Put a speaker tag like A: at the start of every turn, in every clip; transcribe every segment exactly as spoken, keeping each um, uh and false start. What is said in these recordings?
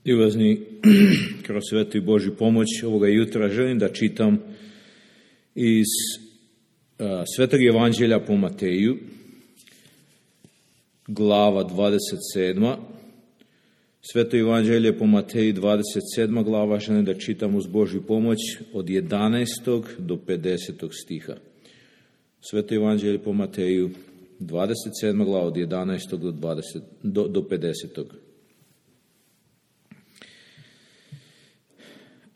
A: Ljubazni, kroz svetu i Božju pomoć ovoga jutra želim da čitam iz a, Svetog Evanđelja po Mateju, glava dvadeset sedma. Sveto Evanđelje po Mateju, dvadeset sedma glava, želim da čitam uz Božju pomoć od jedanaestog do pedesetog stiha. Sveto Evanđelje po Mateju, dvadeset sedma glava, od jedanaestog do, dvadeset, do, do pedesetog.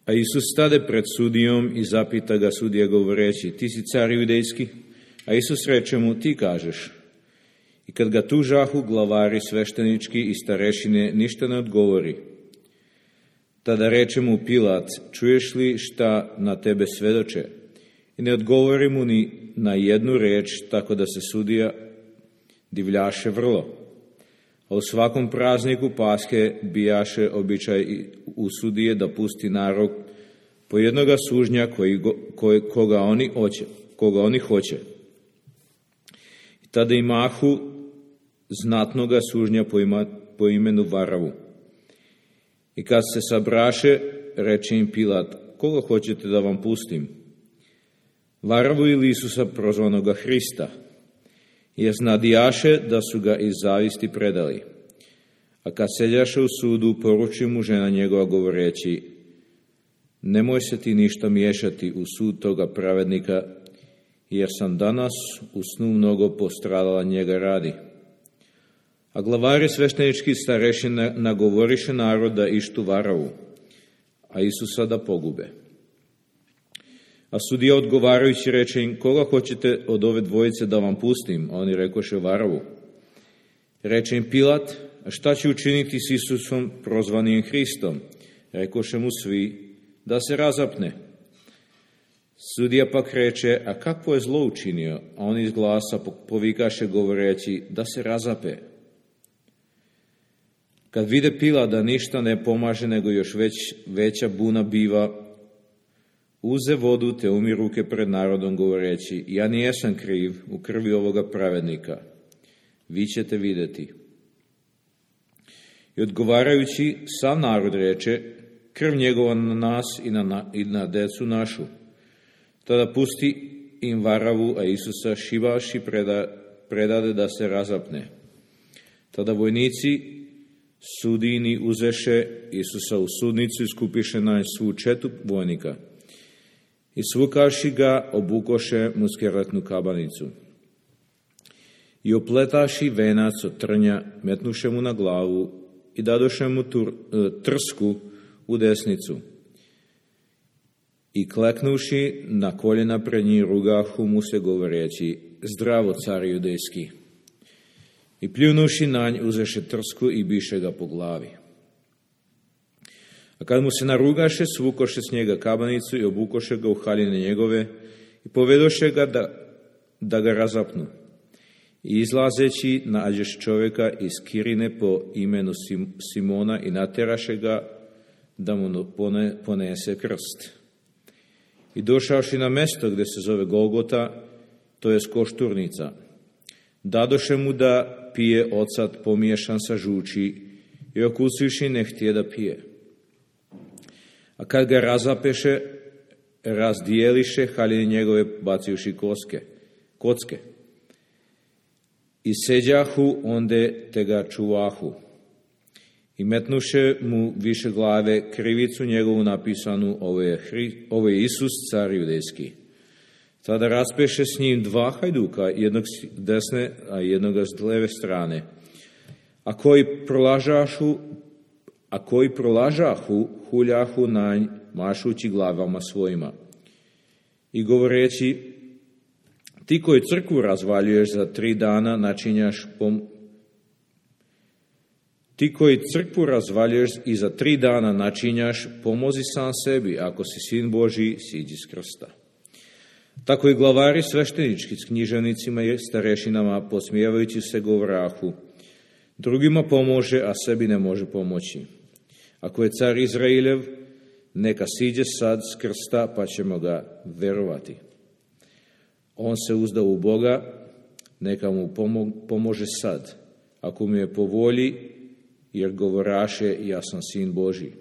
A: A Isus stade pred sudijom i zapita ga sudija govoreći: ti si car judejski? A Isus reče mu: ti kažeš. I kad ga tužahu glavari sveštenički i starešine, ništa ne odgovori. Tada reče mu Pilat: čuješ li šta na tebe svedoče? I ne odgovori mu ni na jednu reč, tako da se sudija divljaše vrlo. A u svakom prazniku Paske bijaše običaj u sudije da pusti narod po jednoga sužnja koji go, ko, koga, oni hoće, koga oni hoće. I tada imahu znatnoga sužnja po, ima, po imenu Varavu. I kad se sabraše, reče im Pilat: koga hoćete da vam pustim? Varavu ili Isusa prozvanoga Hrista? Jer znadijaše da su ga iz zavisti predali. A kad seljaše u sudu, poruči mu žena njegova govoreći: nemoj se ti ništa miješati u sud toga pravednika, jer sam danas u snu mnogo postradala njega radi. A glavari sveštenički starešine nagovoriše narod da ištu Varavu, a Isusa da pogube. A sudija odgovarajući reče im: koga hoćete od ove dvojice da vam pustim? A oni rekoše: Varavu. Reče im Pilat: a šta će učiniti s Isusom prozvanim Hristom? Rekoše mu svi: da se razapne. Sudija pak reče: a kakvo je zlo učinio? A on iz glasa povikaše govoreći: da se razape. Kad vide Pilat da ništa ne pomaže, nego još već veća buna biva, uze vodu te umi ruke pred narodom govoreći: ja nijesam kriv u krvi ovoga pravednika, vi ćete vidjeti. I odgovarajući sav narod reče: krv njegova na nas i na, i na decu našu. Tada pusti im Varavu, a Isusa šivaši preda, predade da se razapne. Tada vojnici sudijini uzeše Isusa u sudnicu i skupiše na svu četu vojnika. I svukaši ga, obukoše mu skeletnu kabanicu. I opletaši venac od trnja, metnuše mu na glavu i dadoše mu tur, trsku u desnicu. I kleknuši na koljena pred njim, rugahu mu se govoreći: zdravo, car judejski. I pljunuši na nj, uzeše trsku i biše ga po glavi. A kad mu se narugaše, svukoše s njega kabanicu i obukoše ga u haljine njegove i povedoše ga da, da ga razapnu. I izlazeći nađeš čovjeka iz Kirine po imenu Simona i nateraše ga da mu ponese krst. I došavši na mesto gdje se zove Golgota, to je košturnica, dadoše mu da pije ocat pomiješan sa žuči i okusivši ne htije da pije. A kad ga razapeše, razdijeliše haljine njegove bacivši koske, kocke. I seđahu onde te ga čuvahu. I metnuše mu više glave krivicu njegovu napisanu: ovo je, Hri, ovo je Isus, car judejski. Tada raspeše s njim dva hajduka, jednog s desne, a jednog s leve strane. A koji prolažašu A koji prolažahu, huljahu na nj, mašući glavama svojima. I govoreći: ti koji crkvu razvaljuješ za tri dana, načinjaš pom... Ti koji crkvu razvaljuješ i za tri dana načinjaš, pomozi sam sebi, ako si sin Božji, siđi s krsta. Tako i glavari sveštenički s književnicima i starešinama, posmijevajući se, govorahu: drugima pomože, a sebi ne može pomoći. Ako je car Izraeljev, neka siđe sad s krsta, pa ćemo ga verovati. On se uzda u Boga, neka mu pomože sad. Ako mu je po volji, jer govoraše, ja sam sin Božji.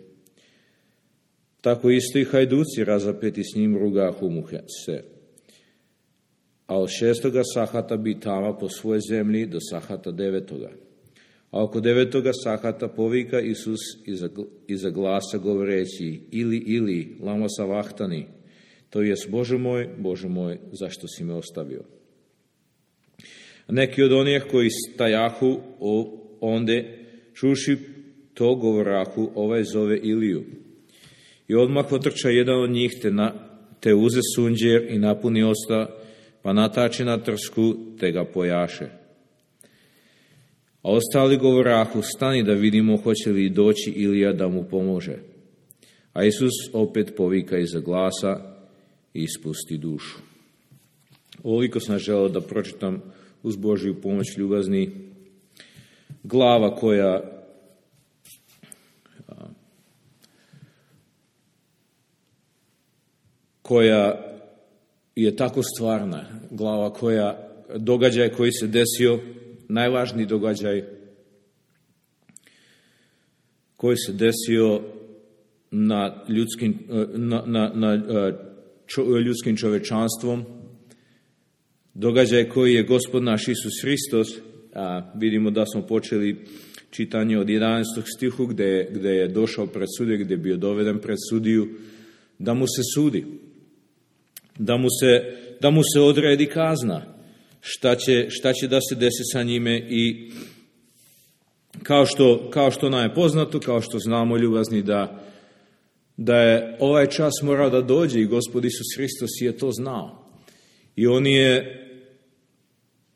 A: Tako isto i hajduci razapeti s njim rugahu mu se. A od šestoga sahata bi tama po svojoj zemlji do sahata devetoga. A oko devetoga sahata povika Isus iza, iza glasa govoreći, ili, ili, lama savahtani, to jest, Bože moj, Bože moj, zašto si me ostavio? A neki od onih koji stajahu onde, čuši to govorahu, ovaj zove Iliju. I odmah otrča jedan od njih, te, na, te uze sunđer i napuni osta, pa natači na trsku, te ga pojaše. A ostali govorahu, stani da vidimo hoće li doći Ilija da mu pomože. A Isus opet povika iza glasa i ispusti dušu. Ovoliko sam želeo da pročitam uz Božju pomoć, ljubazni. Glava koja koja je tako stvarna, glava koja, događaj koji se desio, najvažniji događaj koji se desio na ljudskim, na, na, na čo, ljudskim čovečanstvom, događaj koji je Gospod naš Isus Hristos, a vidimo da smo počeli čitanje od jedanaestog stihu gdje, gdje je došao pred sudiju, gdje je bio doveden pred sudiju, da mu se sudi, da mu se, da mu se odredi kazna, šta će, šta će da se desi sa njime. I kao što, kao što nam je poznato, kao što znamo, ljubazni, da, da je ovaj čas morao da dođe i Gospod Isus Hristos je to znao. I on je,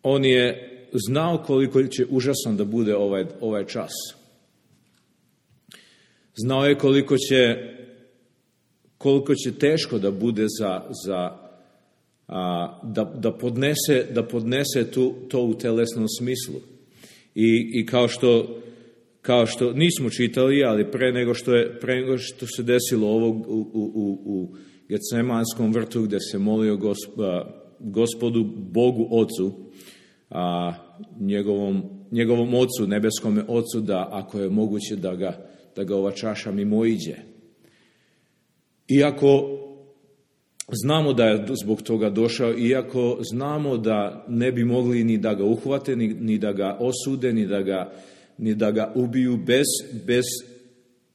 A: on je znao koliko će užasan da bude ovaj, ovaj čas. Znao je koliko će, koliko će teško da bude za, za a, da, da podnese, da podnese tu, to u telesnom smislu. I, i kao što, kao što nismo čitali, ali pre nego što, je, pre nego što se desilo ovo u, u, u, u Getsemanskom vrtu, gdje se molio gosp, a, Gospodu, Bogu Ocu, a, njegovom, njegovom Ocu, nebeskome Ocu, da ako je moguće da ga, da ga ova čaša mimoiđe. Iako znamo da je zbog toga došao, iako znamo da ne bi mogli ni da ga uhvate, ni, ni da ga osude, ni da ga, ni da ga ubiju bez, bez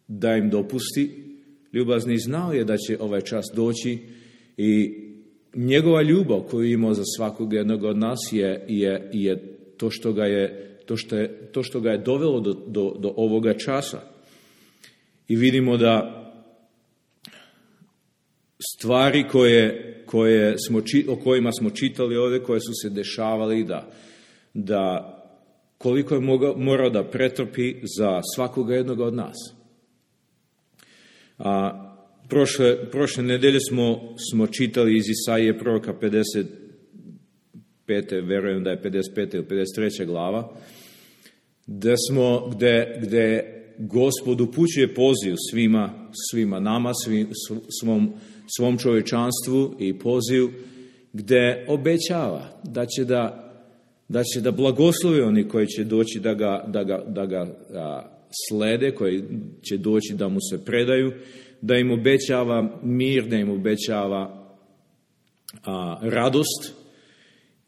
A: da im dopusti, ljubazni, znao je da će ovaj čas doći i njegova ljubav koju je imao za svakog jednog od nas je, je, je to što ga je, to što je, to što ga je dovelo do, do, do ovoga časa. I vidimo da stvari koje, koje smo, o kojima smo čitali ovdje, koje su se dešavali, da, da koliko je mogao, morao da pretrpi za svakoga jednog od nas. A prošle, prošle nedelje smo, smo čitali iz Isaije proroka pedeset pete, verujem da je pedeset pete ili pedeset treća glava, gde smo, gde, gde Gospod upućuje poziv svima, svima nama, svim, svom, svom čovječanstvu i poziv gdje obećava da će da, da će da blagoslovi oni koji će doći da ga, da ga, da ga a, slede, koji će doći da mu se predaju, da im obećava mir, da im obećava a, radost.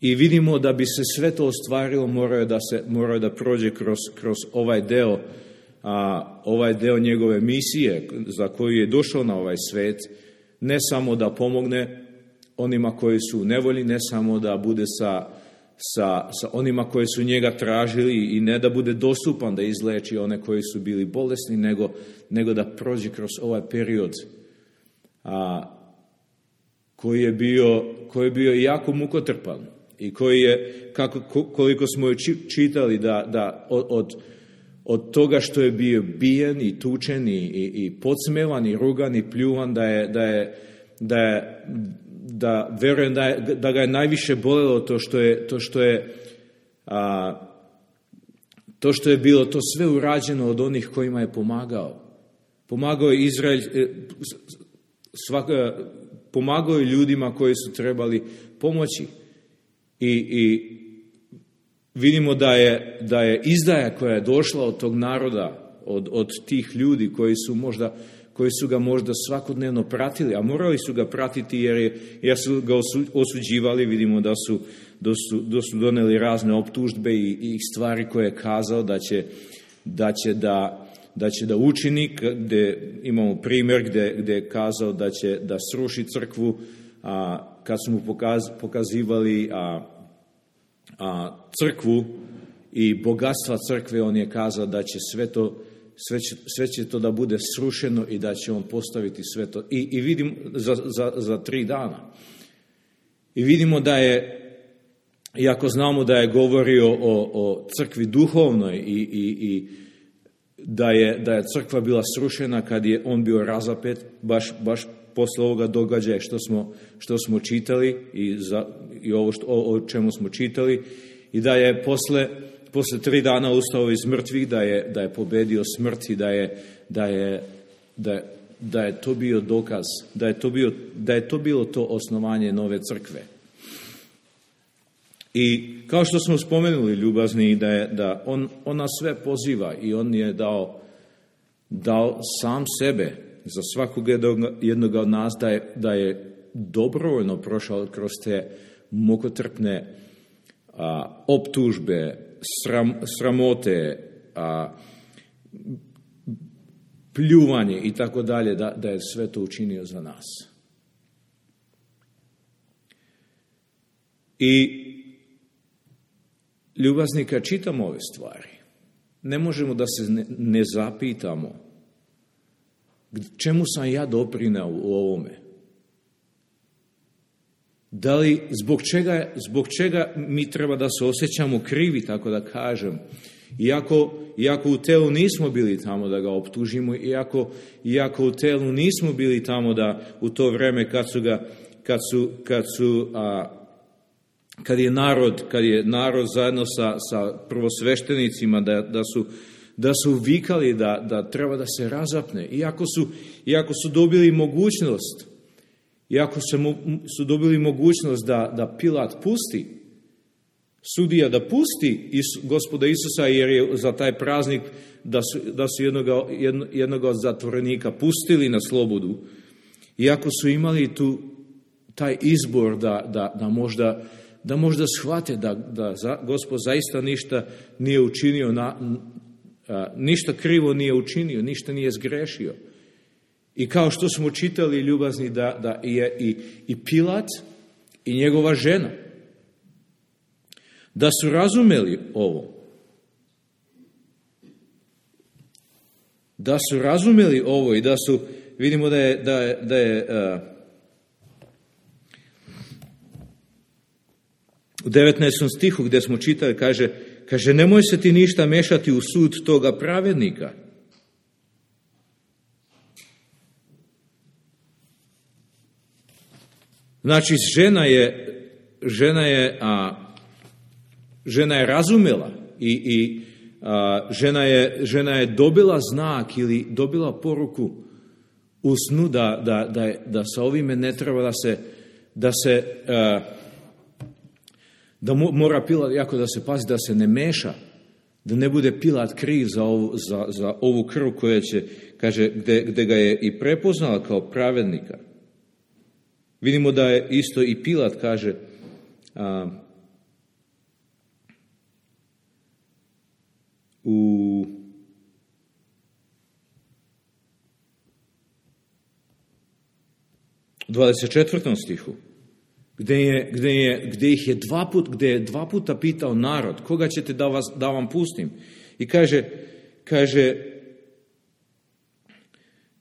A: I vidimo da bi se sve to ostvarilo, moraju da, se, moraju da prođe kroz, kroz ovaj deo, a, ovaj deo njegove misije za koju je došao na ovaj svet, ne samo da pomogne onima koji su u nevolji, ne samo da bude sa, sa, sa onima koji su njega tražili i ne da bude dostupan da izleči one koji su bili bolesni, nego, nego da prođe kroz ovaj period a, koji je bio, koji je bio jako mukotrpan i koji je, kako, koliko smo je čitali, da, da od, od Od toga što je bio bijen i tučen i, i, i podsmevan i rugan i pljuvan, da je, da je, da je, da verujem da, je, da ga je najviše bolelo to što je, to što je, a, to što je bilo to sve urađeno od onih kojima je pomagao. Pomagao je Izrael, svaka, pomagao je ljudima koji su trebali pomoći. I, i vidimo da je, da je izdaja koja je došla od tog naroda od, od tih ljudi koji su možda koji su ga možda svakodnevno pratili, a morali su ga pratiti jer, je, jer su ga osuđivali. Vidimo da su, da su, da su doneli razne optužbe i, i stvari koje je kazao da će da, će da, da, će da učini, gde imamo primjer gde, gde je kazao da će da sruši crkvu, a kad su mu pokaz, pokazivali a, a, crkvu i bogatstva crkve, on je kazao da će sve to Sve će, sve će to da bude srušeno i da će on postaviti sve to. I, i vidimo za, za, za tri dana. I vidimo da je, iako znamo da je govorio o, o crkvi duhovnoj i, i, i da, je, da je crkva bila srušena kad je on bio razapet, baš, baš posle ovoga događaja što smo, što smo čitali i, za, i ovo što, o, o čemu smo čitali, i da je posle Posle tri dana ustao iz mrtvih, da je, da je pobedio smrt i da je, da je, da je, da je to bio dokaz, da je to, bio, da je to bilo to osnovanje nove crkve. I kao što smo spomenuli, ljubazni, da, je, da on, on nas sve poziva i on je dao, dao sam sebe za svakog jednog od nas, da je, da je dobrovoljno prošao kroz te mukotrpne a, optužbe, Sram, sramote, a, pljuvanje i tako dalje, da, da je sve to učinio za nas. I ljubazni, kad čitamo ove stvari, ne možemo da se ne, ne zapitamo čemu sam ja doprineo u ovome. Da li, zbog čega, zbog čega mi treba da se osjećamo krivi, tako da kažem, iako, iako u telu nismo bili tamo da ga optužimo, iako, iako u telu nismo bili tamo da u to vreme kad su ga, kad su, kad su, a, kad je narod, kad je narod zajedno sa, sa prvosveštenicima da, da su, da su vikali da, da treba da se razapne, iako su, iako su dobili mogućnost, Iako su dobili mogućnost da, da Pilat pusti, sudija da pusti Gospoda Isusa, jer je za taj praznik da su, da su jednoga, jedno, jednoga od zatvorenika pustili na slobodu, iako su imali tu taj izbor da, da, da, možda, da možda shvate da, da za, Gospod zaista ništa nije učinio, na, a, ništa krivo nije učinio, ništa nije zgrešio. I kao što smo čitali, ljubazni, da, da je i, i Pilat i njegova žena, da su razumeli ovo. Da su razumeli ovo i da su, vidimo da je, da je, da je uh, u devetnaestom stihu gdje smo čitali, kaže, kaže, nemoj se ti ništa mešati u sud toga pravednika. Znači, žena je, žena je, a, žena je razumela i, i a, žena, je, žena je dobila znak ili dobila poruku u snu da, da, da, da sa ovime ne treba da se, da se, a, da mora Pilat jako da se pazi, da se ne meša, da ne bude Pilat kriv za ovu, za, za ovu krv koja će, kaže, gde, gde ga je i prepoznala kao pravednika. Vidimo da je isto i Pilat, kaže, a, u dvadeset četvrtom stihu, gde, je, gde, je, gde ih je dva put, gde je dva puta pitao narod, koga ćete da, vas, da vam pustim? I kaže, kaže,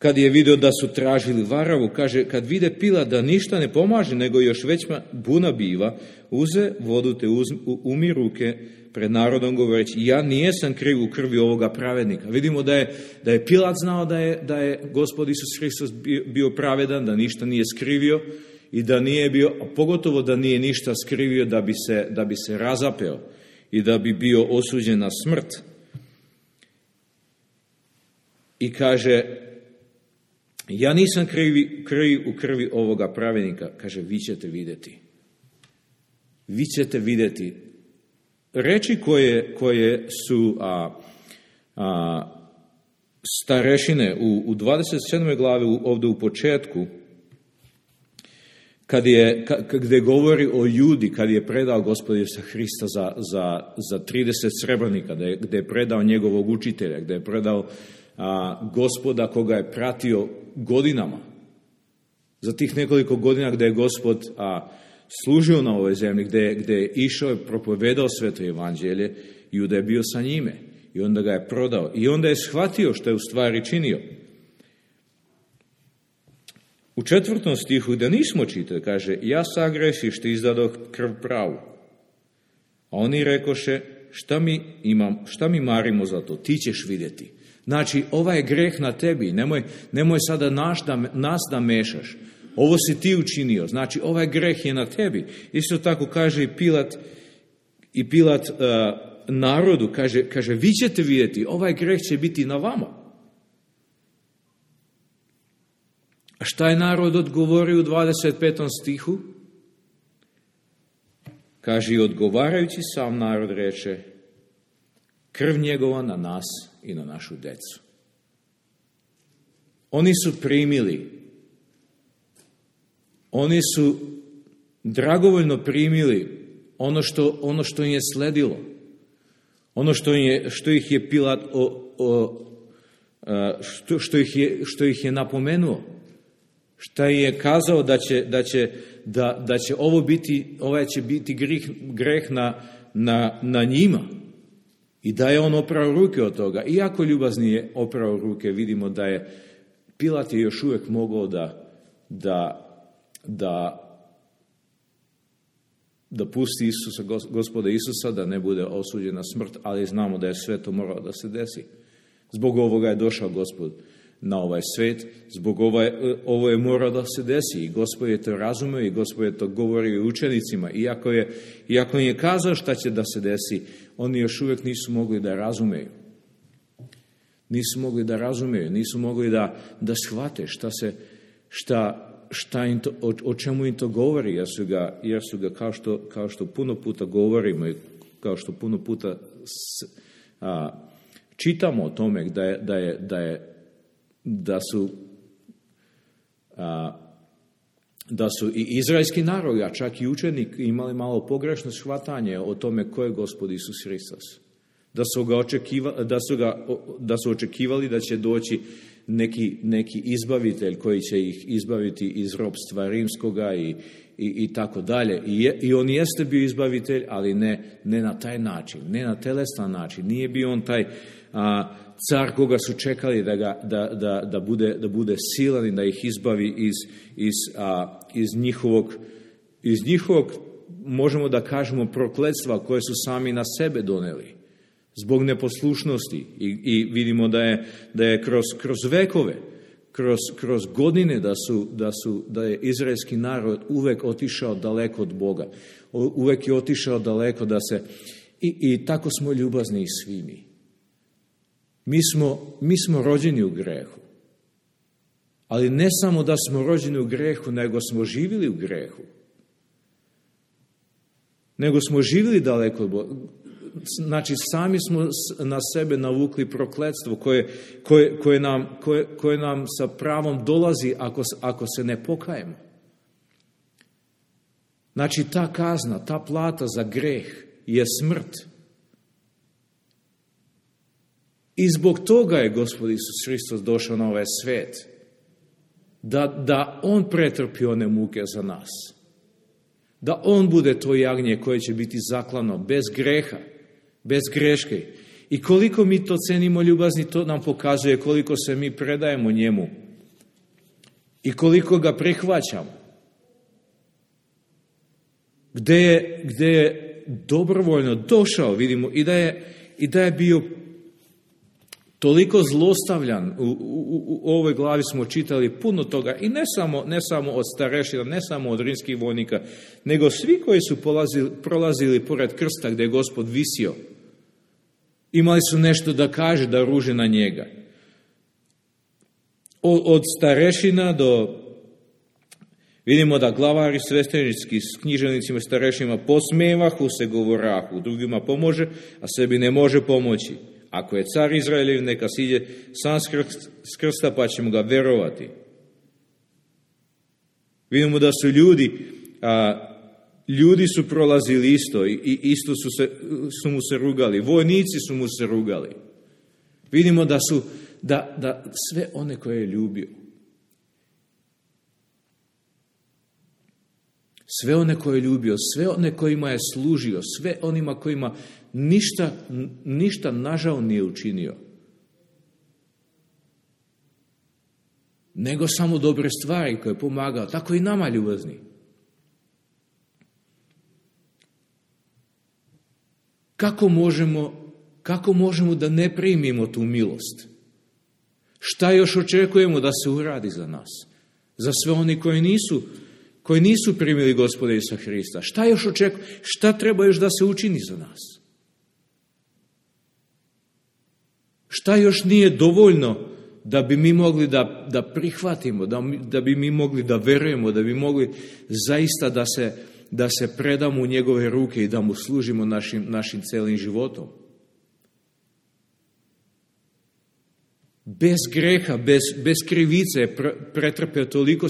A: kad je vidio da su tražili varavu, kaže, kad vide Pilat da ništa ne pomaže, nego još većma buna biva, uze vodu te uz, umi ruke pred narodom govoreći, ja nijesam kriv u krvi ovoga pravednika. Vidimo da je, da je Pilat znao da je, da je Gospod Isus Hristos bio, bio pravedan, da ništa nije skrivio i da nije bio, a pogotovo da nije ništa skrivio da bi se, da bi se razapeo i da bi bio osuđen na smrt. I kaže, ja nisam krivi, kriv u krvi ovoga pravednika. Kaže, vi ćete vidjeti. Vi ćete vidjeti. Reči koje, koje su a, a, starešine u, u dvadeset sedmoj glavi ovdje u početku, kad je, gdje govori o Judi, kad je predao Gospod Isusa Hrista za, za, za trideset srebrnika, gdje je predao njegovog učitelja, gdje je predao a, Gospoda koga je pratio godinama. Za tih nekoliko godina gdje je Gospod a, služio na ovoj zemlji, gdje, gdje je išao i propovedao sveto evanđelje, Juda je bio sa njime i onda ga je prodao. I onda je shvatio što je u stvari činio. U četvrtom stihu, da nismo čitali, kaže, ja sagrešiš ti izdadoh krv pravu. A oni rekoše, šta mi, imam, šta mi marimo za to, ti ćeš vidjeti. Znači, ovaj je greh na tebi, nemoj, nemoj sada naš da, nas da mešaš. Ovo si ti učinio, znači ovaj greh je na tebi. Isto tako kaže i Pilat, i Pilat uh, narodu, kaže, kaže, vi ćete vidjeti, ovaj greh će biti na vama. A šta je narod odgovorio u dvadeset petom stihu? Kaže, odgovarajući sam narod reče, krv njegova na nas i na našu decu. Oni su primili, oni su dragovoljno primili ono što, ono što im je sledilo, ono što, je, što ih je Pilat, o, o, što, što, ih je, što ih je napomenuo. Šta je kazao da će, da će, da, da će ovo biti, ovaj će biti greh, greh na, na, na njima. I da je on oprao ruke od toga. Iako ljubazni je oprao ruke, vidimo da je Pilat je još uvijek mogao da, da, da, da pusti Isusa, Gospoda Isusa, da ne bude osuđen na smrt, ali znamo da je sve to moralo da se desi. Zbog ovoga je došao Gospod na ovaj svet, zbog ovaj, ovo je morao da se desi i Gospod je to razumio i Gospod je to govorio učenicima. Iako je, iako je kazao šta će da se desi, oni još uvijek nisu mogli da razumeju. Nisu mogli da razumeju, nisu mogli da, da shvate šta se, šta, šta im to, o, o čemu im to govori, jer su ga, jer su ga kao, što, kao što puno puta govorimo i kao što puno puta s, a, čitamo o tome da je, da je, da je da su a, da su i izraelski narod, a čak i učenik imali malo pogrešno shvatanje o tome ko je Gospod Isus Hristos. Da su ga očekivali, da su ga, da su očekivali da će doći neki, neki izbavitelj koji će ih izbaviti iz ropstva rimskoga i, i, i tako dalje. I, je, I on jeste bio izbavitelj, ali ne, ne na taj način, ne na telestan način. Nije bio on taj a, car koga su čekali da, ga, da, da, da, bude, da bude silan i da ih izbavi iz, iz, a, iz, njihovog, iz njihovog, možemo da kažemo, prokletstva koje su sami na sebe doneli zbog neposlušnosti. I, i vidimo da je, da je kroz, kroz vekove, kroz, kroz godine da, su, da, su, da je izraelski narod uvek otišao daleko od Boga. Uvek je otišao daleko da se... I, i tako smo ljubazni i svi mi. Mi smo, mi smo rođeni u grehu. Ali ne samo da smo rođeni u grehu, nego smo živjeli u grehu. Nego smo živjeli daleko od Boga. Znači, sami smo na sebe navukli prokletstvo koje, koje, koje, nam, koje, koje nam sa pravom dolazi ako, ako se ne pokajemo. Znači, ta kazna, ta plata za greh je smrt. I zbog toga je Gospod Isus Hristos došao na ovaj svet. Da, da on pretrpi one muke za nas. Da on bude to jagnje koje će biti zaklano bez greha, bez greške. I koliko mi to cenimo ljubazni, to nam pokazuje koliko se mi predajemo njemu. I koliko ga prihvaćamo. Gde je, gde je dobrovoljno došao, vidimo, i da je, i da je bio toliko zlostavljan. U, u, u ovoj glavi smo čitali puno toga i ne samo, ne samo od starešina, ne samo od rimskih vojnika, nego svi koji su polazili, prolazili pored krsta gdje je Gospod visio. Imali su nešto da kaže, da ruže na njega. Od, od starešina do... Vidimo da glavari sveštenički s književnicima starešima posmevahu se govorahu, drugima pomože, a sebi ne može pomoći. Ako je car Izraeljev, neka siđe sam s krsta, pa ćemo ga verovati. Vidimo da su ljudi, a, ljudi su prolazili isto i, i isto su, se, su mu se rugali. Vojnici su mu se rugali. Vidimo da su, da, da sve one koje je ljubio, sve one koje je ljubio, sve one kojima je služio, sve onima kojima ništa, ništa nažao nije učinio, nego samo dobre stvari koje je pomagao, tako i nama ljubazni. Kako možemo, kako možemo da ne primimo tu milost? Šta još očekujemo da se uradi za nas? Za sve oni koji nisu, koji nisu primili Gospoda Isusa Hrista. Šta još očekujemo? Šta treba još da se učini za nas? Šta još nije dovoljno da bi mi mogli da, da prihvatimo, da, da bi mi mogli da verujemo, da bi mogli zaista da se, da se predamo u njegove ruke i da mu služimo našim, našim celim životom? Bez greha, bez, bez krivice pretrpeo toliko,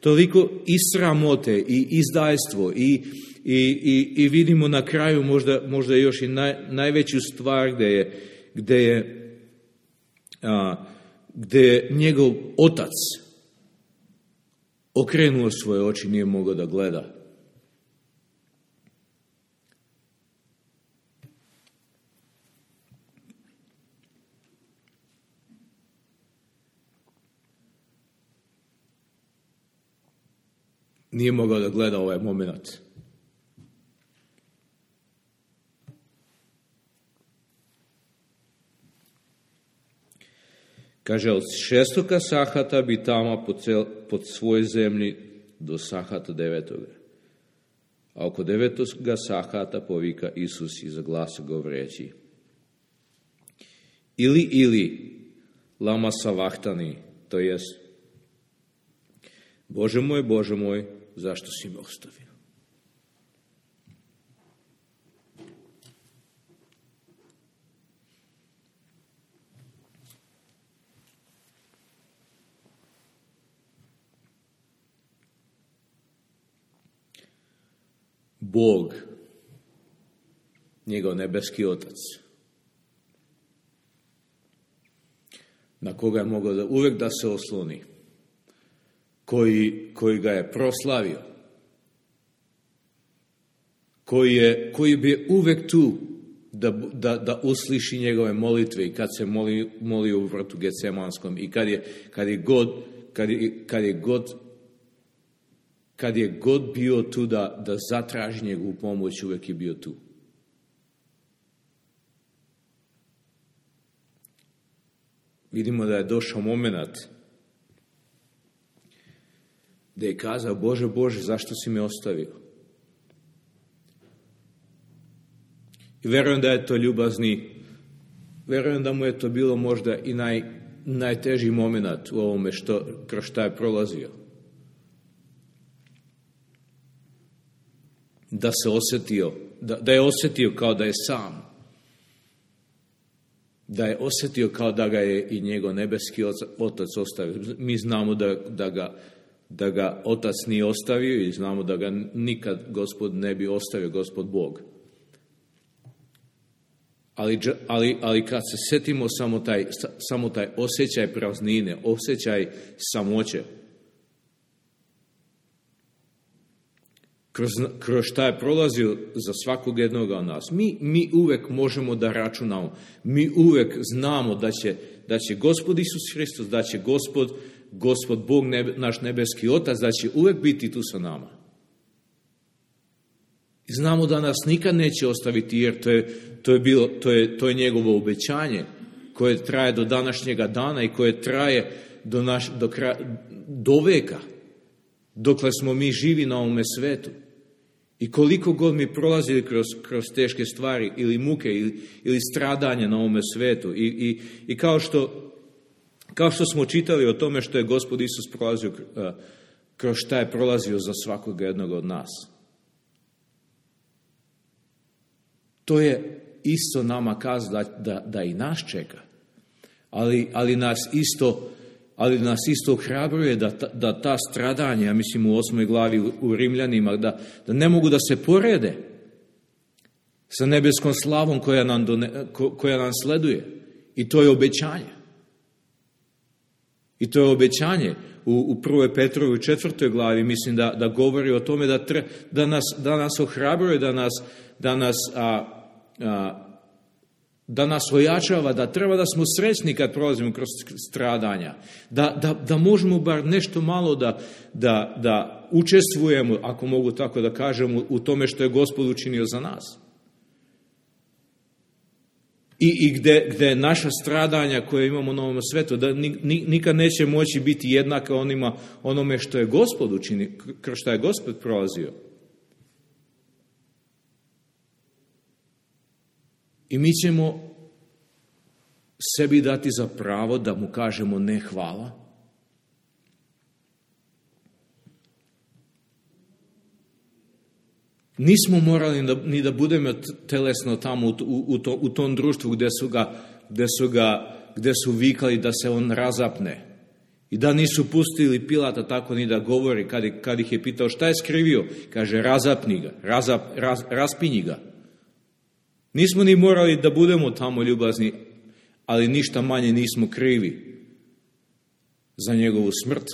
A: toliko i sramote i izdajstvo i, i, i, i vidimo na kraju možda, možda još i naj, najveću stvar gde je, gde je a, gde je njegov otac okrenuo svoje oči, nije mogao da gleda. Nije mogao da gleda ovaj moment. Kaže, od šestoga sahata bi tama po, cel, po svoj zemlji do sahata devetoga. A oko devetoga sahata povika Isus i za glasa govoreći: Ili, ili, lama savahtani, to jest, Bože moj, Bože moj, zašto si me ostavio? Bog, njegov nebeski otac, na koga je mogao da uvek da se osloni, koji, koji ga je proslavio, koji je, koji bi uvek tu da, da, da usliši njegove molitve i kad se moli, molio u vrtu Gecemanskom i kad je, kad je god, kad je, kad je god Kad je god bio tu da, da zatraži njegovu pomoć, uvek je bio tu. Vidimo da je došao moment da je kazao: Bože, Bože, zašto si me ostavio? I verujem da je to ljubazni, verujem da mu je to bilo možda i naj, najteži moment u ovome što, kroz šta je prolazio. Da se osjetio, da, da je osjetio kao da je sam. Da je osjetio kao da ga je i njegov nebeski otac ostavio. Mi znamo da, da, ga, da ga otac nije ostavio i znamo da ga nikad Gospod ne bi ostavio, Gospod Bog. Ali, ali, ali kad se sjetimo samo taj, samo taj osjećaj praznine, osjećaj samoće, Kroz, kroz šta je prolazio za svakog jednoga od nas. Mi, mi uvek možemo da računamo. Mi uvek znamo da će, da će Gospod Isus Hristos, da će Gospod, Gospod Bog, nebe, naš nebeski Otac, da će uvek biti tu sa nama. I znamo da nas nikad neće ostaviti, jer to je, to je, bilo, to je, to je njegovo obećanje koje traje do današnjega dana i koje traje do, naš, do, kraja, do veka. Dokle smo mi živi na ovome svetu. I koliko god mi prolazili kroz, kroz teške stvari ili muke ili, ili stradanje na ovome svetu. I, i, i kao, što, kao što smo čitali o tome što je Gospod Isus prolazio, kroz šta je prolazio za svakog jednog od nas. To je, isto nama kazao da, da, da i nas čeka. Ali, ali nas isto ali nas isto ohrabruje da, da ta stradanja, ja mislim u osmoj glavi u, u Rimljanima, da, da ne mogu da se porede sa nebeskom slavom koja nam, done, ko, koja nam sleduje. I to je obećanje. I to je obećanje. U, u prvoj Petrovoj četvrtoj glavi mislim da, da govori o tome da, tre, da, nas, da nas ohrabruje, da nas, da nas a, a, da nas ojačava, da treba da smo srećni kad prolazimo kroz stradanja, da, da, da možemo bar nešto malo da, da, da učestvujemo, ako mogu tako da kažem, u tome što je Gospod učinio za nas. I, i gde, gde naša stradanja koje imamo na ovom svetu, da nikad neće moći biti jednaka onima, onome što je Gospod učinio, kroz što je Gospod prolazio. I mi ćemo sebi dati za pravo da mu kažemo ne hvala. Nismo morali da, ni da budemo telesno tamo u, u, to, u tom društvu gde su, ga, gde, su ga, gde su vikali da se on razapne. I da nisu pustili Pilata tako ni da govori kad, kad ih je pitao šta je skrivio. Kaže razapni ga, razap, raz, raspinji ga. Nismo ni morali da budemo tamo ljubazni, ali ništa manje nismo krivi za njegovu smrt,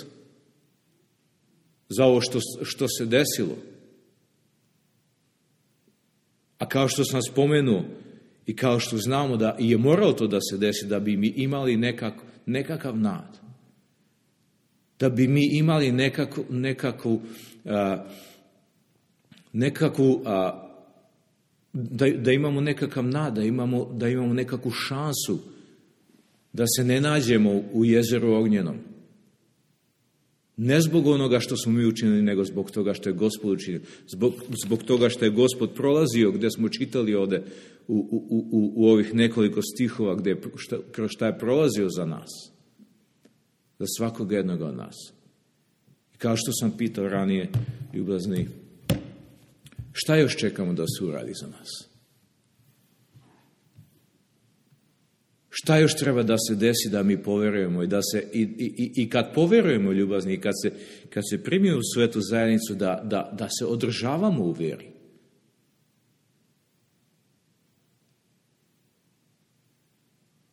A: za ovo što, što se desilo. A kao što sam spomenuo i kao što znamo da je moralo to da se desi, da bi mi imali nekak, nekakav nad, da bi mi imali nekakvu, nekakvu, a, nekakvu a, Da, da imamo nekakav nad, da imamo, da imamo nekakvu šansu da se ne nađemo u jezeru ognjenom. Ne zbog onoga što smo mi učinili, nego zbog toga što je Gospod učinio. Zbog, zbog toga što je Gospod prolazio, gde smo čitali ovde u, u, u, u ovih nekoliko stihova, gde, šta, kroz šta je prolazio za nas. Za svakog jednog od nas. I kao što sam pitao ranije, ljubazni, šta još čekamo da se uradi za nas? Šta još treba da se desi da mi poverujemo i da se i, i, i kad poverujemo ljubazni i kad se, kad se primimo u svetu zajednicu da, da, da se održavamo u vjeri?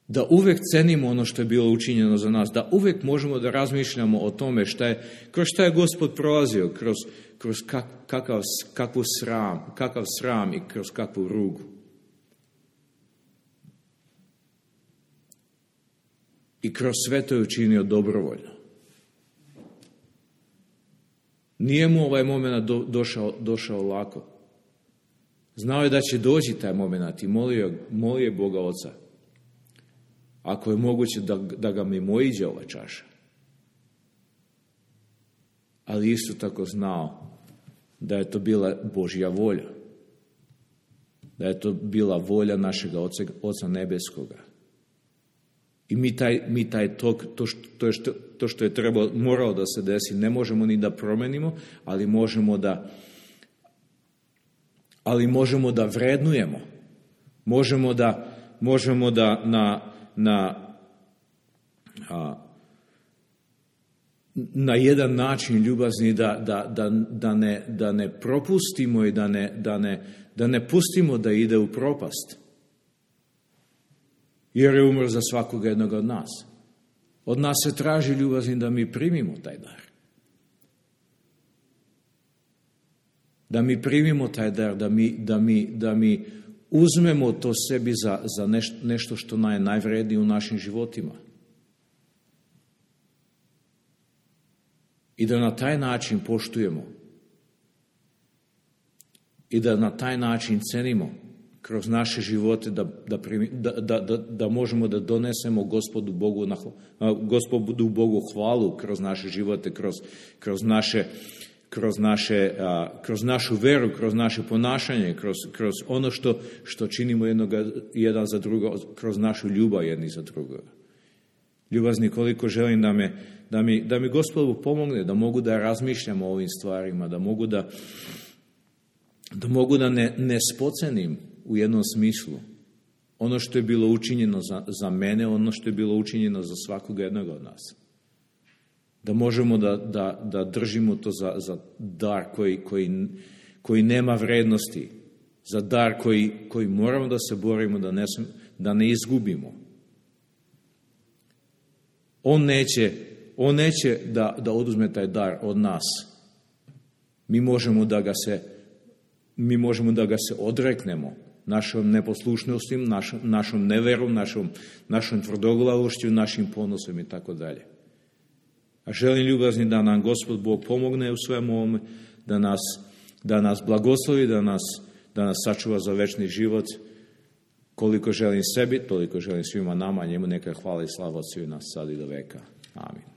A: Da uvek cenimo ono što je bilo učinjeno za nas, da uvek možemo da razmišljamo o tome šta je, kroz šta je Gospod prolazio, kroz, kroz kak, kakav, kakvu sram, kakav sram i kroz kakvu rugu. I kroz sve to je učinio dobrovoljno. Nije mu ovaj moment do, došao, došao lako. Znao je da će doći taj moment i molio, molio je Boga Oca. Ako je moguće da, da ga mimoiđe ova čaša. Ali isto tako znao da je to bila Božja volja. Da je to bila volja našega Oca, Oca Nebeskoga. I mi taj, mi taj tok, to, što, to, što, to što je trebalo, moralo da se desi, ne možemo ni da promenimo, ali možemo da, ali možemo da vrednujemo. Možemo da, možemo da na, na, a, na jedan način ljubazni da, da, da, da, ne, da ne propustimo i da ne, da, ne, da ne pustimo da ide u propast. Jer je umro za svakog jednog od nas. Od nas se traži ljubazni da mi primimo taj dar. Da mi primimo taj dar, da mi, da mi, da mi uzmemo to sebi za, za nešto, nešto što je najvrednije u našim životima. I da na taj način poštujemo. I da na taj način cenimo kroz naše živote da, da, da, da, da, da možemo da donesemo Gospodu Bogu, na, Gospodu Bogu hvalu kroz naše živote, kroz, kroz, naše, kroz, naše, kroz našu veru, kroz naše ponašanje, kroz, kroz ono što, što činimo jednoga, jedan za drugo, kroz našu ljubav jedni za drugoga. Ljubazni, koliko želim da, me, da, mi, da mi Gospodu pomogne, da mogu da razmišljam o ovim stvarima, da mogu da, da, mogu da ne, ne spocenim u jednom smislu, ono što je bilo učinjeno za, za mene, ono što je bilo učinjeno za svakog jednog od nas. Da možemo da, da, da držimo to za, za dar koji, koji, koji nema vrednosti, za dar koji, koji moramo da se borimo, da ne, da ne izgubimo. On neće, on neće da, da oduzme taj dar od nas. Mi možemo da ga se, mi možemo da ga se odreknemo našom neposlušnosti, našom, našom neverom, našom, našom tvrdoglavošću, našim ponosom i tako dalje. A želim ljubazni da nam Gospod Bog pomogne u svemu ovome, da nas, da nas blagoslovi, da nas, da nas sačuva za večni život. Koliko želim sebi, toliko želim svima nama, njemu neka hvala i slava od svih nas sad i do veka. Amin.